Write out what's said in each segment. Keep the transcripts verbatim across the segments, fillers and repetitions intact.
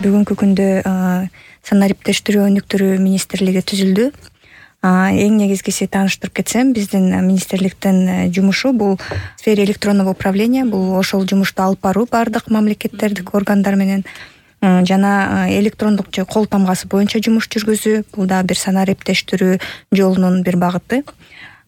Бүгүнкү күндө санариптештирүү өнүктүрүү министрлиги түзүлдү. Эң негизгиси тааныштырып кетсем, биздин министрликтин жумушу бул сфера электронного управления, бул ошол жумушту алып баруу баардык мамлекеттердик органдар менен жана электрондук же кол тамгасы боюнча жумуш жүргүзүү. Бул да бир санариптештирүү жолунун бир багыты.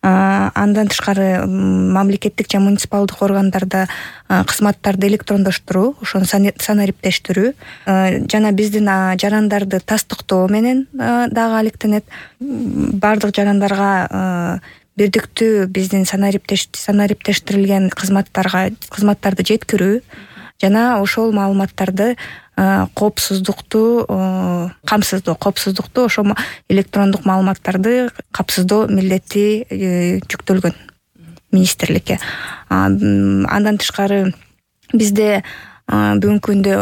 Андан тышкары мамлекеттик жана муниципалдык органдарда кызматтарды электрондоштуруу, ошону санариптештирүү жана биздин жарандарды тастыктоо менен дагы алектенет. Баардык жарандарга бирдиктүү биздин санариптештирилген кызматтарга кызматтарды жеткирүү жана ошол маалыматтарды коопсуздукту камсыздоо коопсуздукту ошол электрондук маалыматтарды камсыздоо милдети жүктөлгөн министрликке. Андан тышкары бизде бүгүнкү күндө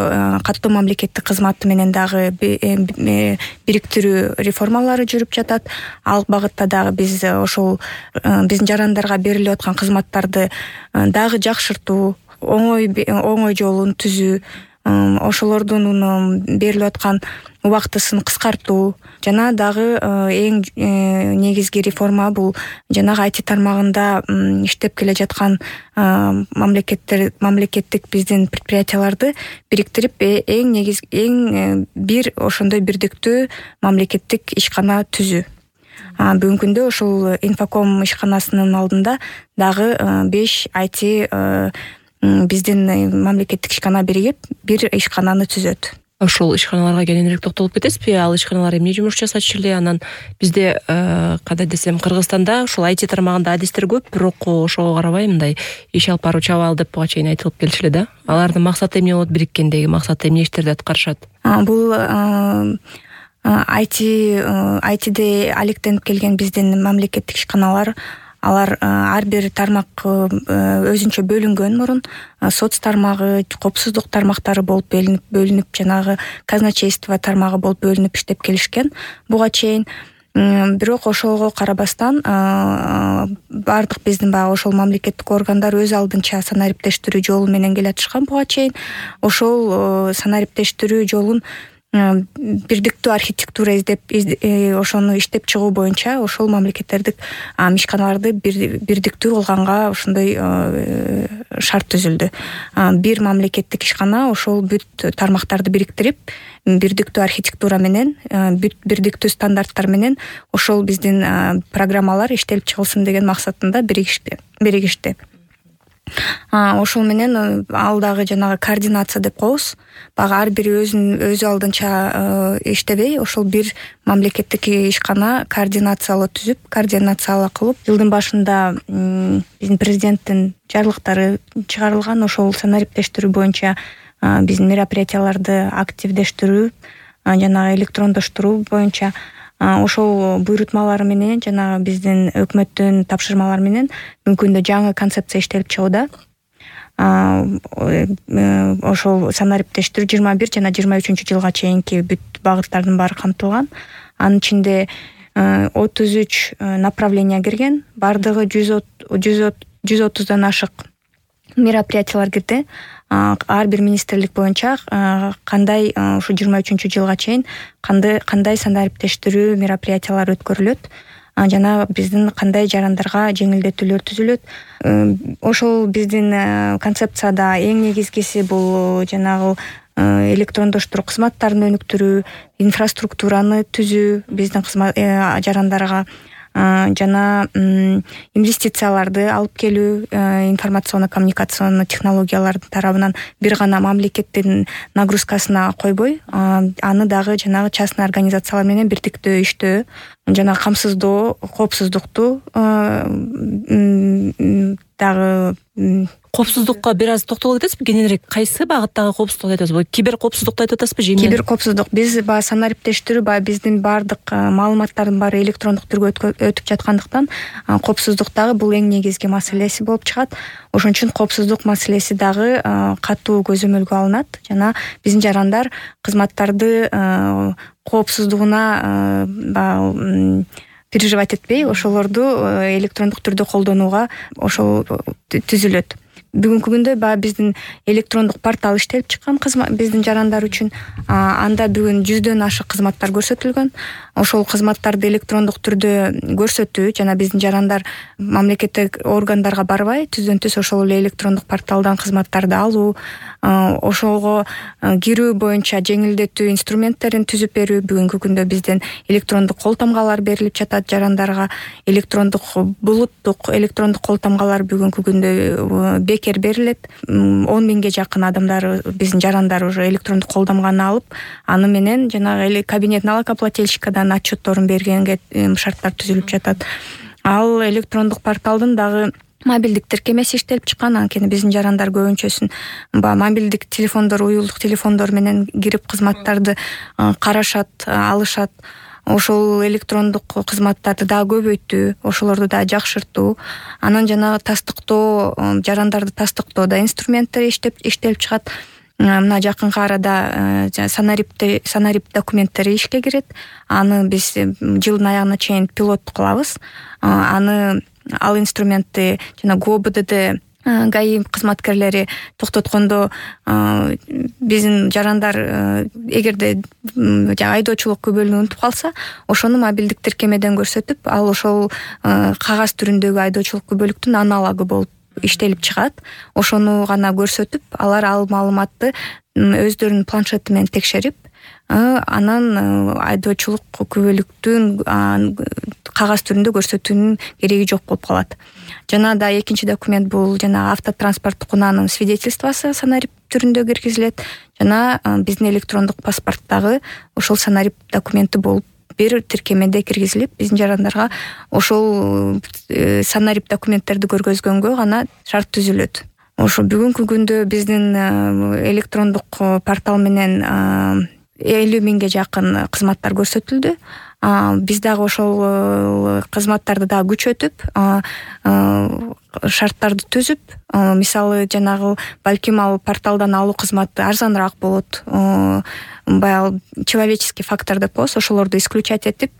каттоо мамлекеттик кызматы менен дагы бириктирүү реформалары жүрүп жатат. Ал багытта дагы биз ошол биздин жарандарга берилип аткан кызматтарды дагы жакшыртуу, оңой оңой жолун түзүү, ошолордун берилип аткан убактысын кыскартуу жана дагы эң негизги реформа бул жанагы ай ти тармагында иштеп келе жаткан мамлекеттер мамлекеттик биздин предприятияларды бириктирип эң негиз эң бир ошондой бирдиктүү мамлекеттик ишкана түзүү. Бүгүнкү күндө ошол инфоком ишканасынын алдында дагы беш ай ти биздин мамлекеттик ишкана биригип бир ишкананы түзөт. Ошол ишканаларга кененирээк токтолуп кетесизби? Ал ишканалар эмне жумуш жасачу эле? Анан бизде кандай десем, Кыргызстанда ушул ай ти тармагында адистер көп, бирок ошого карабай мындай иш алып баруучу абал деп буга чейин айтылып келчү эле да. Алардын максаты эмне болот, бириккендеги максаты эмне иштерди аткарышат? Бул ай ти ай тиде алектенип келген биздин мамлекеттик ишканалар, алар ар бир тармак өзүнчө бөлүнгөн мурун. Соц тармагы, коопсуздук тармактары болуп бөлүнүп, бөлүнүп жанагы казначейство тармагы болуп бөлүнүп иштеп келишкен буга чейин. Бирок ошого карабастан баардык биздин баягы ошол мамлекеттик органдар өз алдынча санариптештирүү жолу менен келатышкан буга чейин. Ошол санариптештирүү жолун бирдиктүү архитектура издеп ошону иштеп чыгуу боюнча ошол мамлекеттердик ишканаларды бирдиктүү кылганга ошондой шарт түзүлдү. Бир мамлекеттик ишкана ошол бүт тармактарды бириктирип, бирдиктүү архитектура менен, бүт бирдиктүү стандарттар менен ошол биздин программалар иштелип чыгылсын деген максатында биригишти. биригишти. Ошол менен ал дагы жанагы координация деп коебуз. Багы ар бири өзүн өзү алдынча иштебей, ошол бир мамлекеттик ишкана координациялоо түзүп, координациялоо кылып, жылдын башында биздин президенттин жарлыктары чыгарылган. Ошол санариптештирүү боюнча биздин мероприятияларды активдештирүү, жанагы электрондоштуруу боюнча ошол буйрутмалар менен жана биздин өкмөттүн тапшырмалары менен бүгүнкү күндө жаңы концепция иштелип чыгууда. Ошол санариптештирүү жыйырма бир жана жыйырма үчүнчү жылга чейинки бүт багыттардын баары камтылган. Анын ичинде отуз үч направление кирген, бардыгы жүз отуздан ашык мероприятиялар кирди. Ар бир министрлик боюнча кандай ушу жыйырма үчүнчү жылга чейин кандай кандай санариптештирүү мероприятиялары өткөрүлөт, жана биздин кандай жарандарга жеңилдетүүлөр түзүлөт. Ошол биздин концепцияда эң негизгиси бул жанагы электрондоштуруу кызматтарын өнүктүрүү, инфраструктураны түзүү, биздин жарандарга жана инвестицияларды алып келүү, информационно-коммуникационный технологиялардын тарабынан бир гана мамлекеттин нагрузкасына койбой, аны дагы жанагы частный организациялар менен бирдиктүү иштөө, жана камсыздоо, коопсуздукту дагы. Коопсуздукка бир аз токтоло кетесизби? Кененирээк кайсы багыттагы коопсуздукту айтып атасызбы? Кибер коопсуздукту айтып атасызбы же эмне? Кибер коопсуздук биз баягы санариптештирүү баягы биздин баардык маалыматтардын баары электрондук түргө өтүп жаткандыктан коопсуздук дагы бул эң негизги маселеси болуп чыгат. Ошон үчүн коопсуздук маселеси дагы катуу көзөмөлгө алынат жана биздин жарандар кызматтарды коопсуздугуна баягы переживать этпей, ошолорду электрондук түрдө колдонууга ошол түзүлөт. бүгүнкү күндө баягы биздин электрондук портал иштелип чыккан биздин жарандар үчүн. Анда бүгүн жүздөн ашык кызматтар көрсөтүлгөн. Ошол кызматтарды электрондук түрдө көрсөтүү жана биздин жарандар мамлекеттик органдарга барбай түздөн түз ошол эле электрондук порталдан кызматтарды алуу, ошого кирүү боюнча жеңилдетүү инструменттерин түзүп берүү. Бүгүнкү күндө бизден электрондук кол тамгалар берилип жатат жарандарга. Электрондук булуттук электрондук кол тамгалар бүгүнкү күндө бекер берилет. он миңге жакын адамдар биздин жарандар уже электрондук кол тамганы алып, аны менен жанагы кабинет налогоплательщикадан отчетторун бергенге шарттар түзүлүп жатат. Ал электрондук порталдын дагы мобилдик тиркемеси иштелип чыккан. Анткени биздин жарандар көбүнчөсүн баягы мобилдик телефондор, уюлдук телефондор менен кирип кызматтарды карашат, алышат. Ошол электрондук кызматтарды дагы көбөйтүү, ошолорду дагы жакшыртуу. Анан жанагы тастыктоо, жарандарды тастыктоодо инструменттер иштеп иштелип чыгат. Мына жакынкы арада санарип санарип документтери ишке кирет. Аны биз жылдын аягына чейин пилот кылабыз. Аны ал инструментти жана ГОБДД ГАИ кызматкерлери токтоткондо биздин жарандар эгерде айдоочулук күбөлүнү унутуп калса, ошону мобилдик тиркемеден көрсөтүп, ал ошол кагаз түрүндөгү айдоочулук күбөлүктүн аналогу болуп иштелип чыгат. Ошону гана көрсөтүп, алар ал маалыматты өздөрүнүн планшети менен текшерип, анан айдоочулук күбөлүктүн кагаз түрүндө көрсөтүүнүн кереги жок болуп калат. Жана да экинчи документ бул жана автотранспорттук унаанын свидетельствосу санарип түрүндө киргизилет. Жана биздин электрондук паспорттагы ошол санарип документи болуп бир тиркемеде киргизилип, биздин жарандарга ошол санарип документтерди көргөзгөнгө гана шарт түзүлөт. Ошо бүгүнкү күндө биздин электрондук портал менен элүү миңге жакын кызматтар көрсөтүлдү. Биз дагы ошол кызматтарды дагы күчөтүп, шарттарды түзүп, мисалы жанагы балким ал порталдан алуу кызматы арзаныраак болот. Баягы человеческий фактор деп коебуз, ошолорду исключать этип,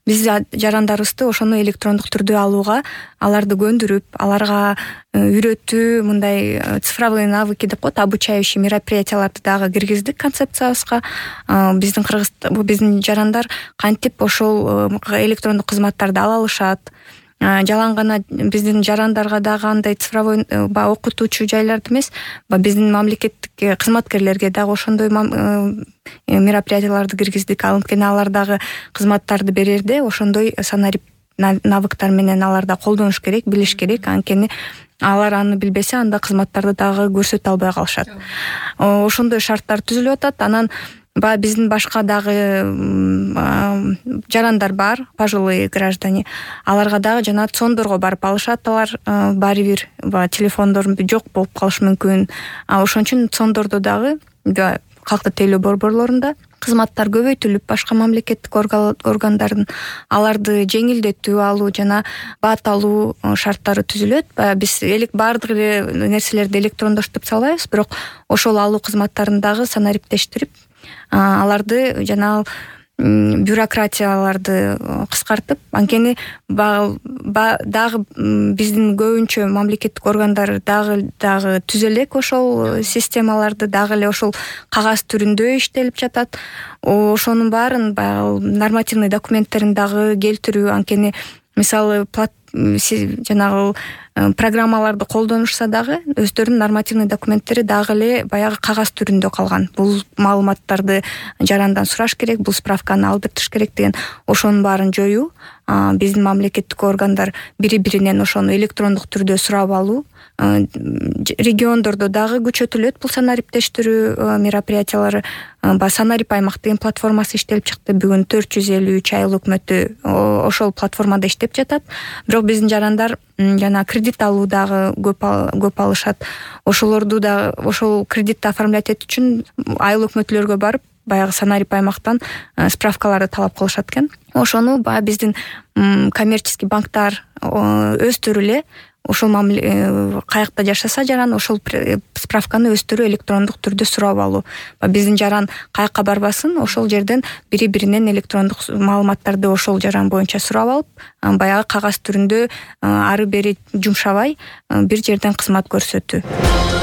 биз жарандарыбызды ошону электрондук түрдө алууга, аларды көндүрүп, аларга үйрөтүү, мындай цифровые навыки деп коет, обучающий мероприятияларды дагы киргиздик концепциябызга. Биздин Кыргызстан, биздин жарандар кантип ошол электрондук кызматтарды ала алышат. Жалаң гана биздин жарандарга дагы андай цифровой окутуучу жайларды эмес, биздин мамлекеттик кызматкерлерге дагы ошондой мероприятияларды киргиздик. Анткени алар дагы кызматтарды берерде ошондой санарип навыктар менен аларда колдонуш керек, билиш керек. Анткени алар аны билбесе, анда кызматтарды дагы көрсөтө албай калышат. Ошондой шарттар түзүлүп атат. Анан Ба биздин башка дагы жарандар бар, пожилые граждане. Аларга дагы жана цондорго барып алышат, алар баары бир телефондор жок болуп калышы мүмкүн. Ошон үчүн цондордо дагы калктык тейлөө борборлорунда кызматтар көбөйтүлүп, башка мамлекеттик органдардын аларды жеңилдетүү алуу жана бат алуу шарттары түзүлөт. Биз элек баардык нерселерди электрондоштуруп салбайбыз, бирок ошол алуу кызматтарын дагы санариптештирип, аларды жана бюрократияларды кыскартып, анткени дагы биздин көбүнчө мамлекеттик органдар дагы дагы түзө элек ошол системаларды, дагы эле ошол кагаз түрүндө иштелип жатат. Ошонун баарын баягы нормативный документтерин дагы келтирүү, анткени мисалы жанагы программаларды колдонушса дагы өздөрүнүн нормативный документтери дагы эле баягы кагаз түрүндө калган. Бул маалыматтарды жарандан сураш керек, бул справканы алып бериш керек деген, ошонун баарын жоюу, биздин мамлекеттик органдар бири-биринен ошону электрондук түрдө сурап алуу, региондордо дагы күчөтүлөт бул санариптештирүү мероприятиялары. Санарип аймак деген платформасы иштелип чыкты. Бүгүн төрт жүз элүү үч айыл өкмөтү ошол платформада иштеп жатат. Бирок биздин жарандар жана кредит алуу дагы көп алышат. Ошолорду да ошол кредитти оформлять этүү үчүн айыл өкмөтлөргө барып, баягы санарип аймактан справкаларды талап кылышат экен. Ошону баягы биздин коммерческий банктар өздөрү эле ошол мамиле каякта жашаса жаран ошол справканы өздөрү электрондук түрдө сурап алуу. Биздин жаран каякка барбасын, ошол жерден бири биринен электрондук маалыматтарды ошол жаран боюнча сурап алып, баягы кагаз түрүндө ары бери жумшабай бир жерден кызмат көрсөтүү.